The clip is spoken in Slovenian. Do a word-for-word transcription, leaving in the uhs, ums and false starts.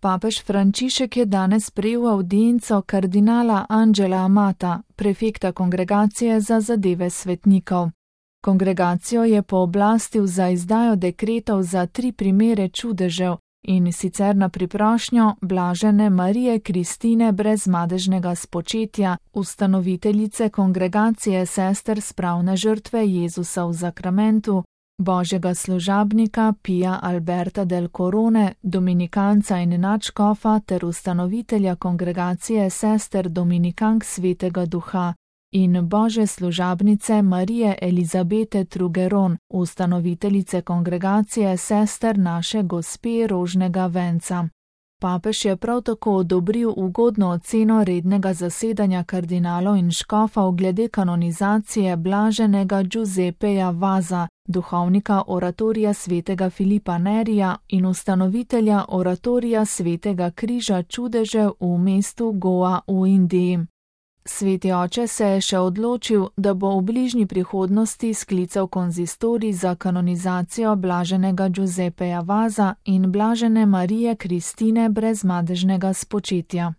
Papež Frančišek je danes sprejel avdienco kardinala Angela Amata, prefekta Kongregacije za zadeve svetnikov. Kongregacijo je pooblastil za izdajo dekretov za tri primere čudežev, in sicer na priprošnjo blažene Marije Kristine brez madežnega spočetja, ustanoviteljice Kongregacije sester spravne žrtve Jezusa v zakramentu, božjega služabnika Pija Alberta del Corone, dominikanca in nadškofa ter ustanovitelja Kongregacije sester dominikank Svetega Duha, in božje služabnice Marije Elizabete Trugeron, ustanoviteljice Kongregacije sester naše Gospe Rožnega venca. Papež je prav tako odobril ugodno oceno rednega zasedanja kardinalov in škofov glede kanonizacije blaženega Giuseppeja Vaza, duhovnika oratorija svetega Filipa Nerija in ustanovitelja oratorija svetega križa čudežev v mestu Goa v Indiji. Sveti oče se je še odločil, da bo v bližnji prihodnosti sklical konzistorij za kanonizacijo blaženega Giuseppeja Vaza in blažene Marije Kristine brez madežnega spočetja.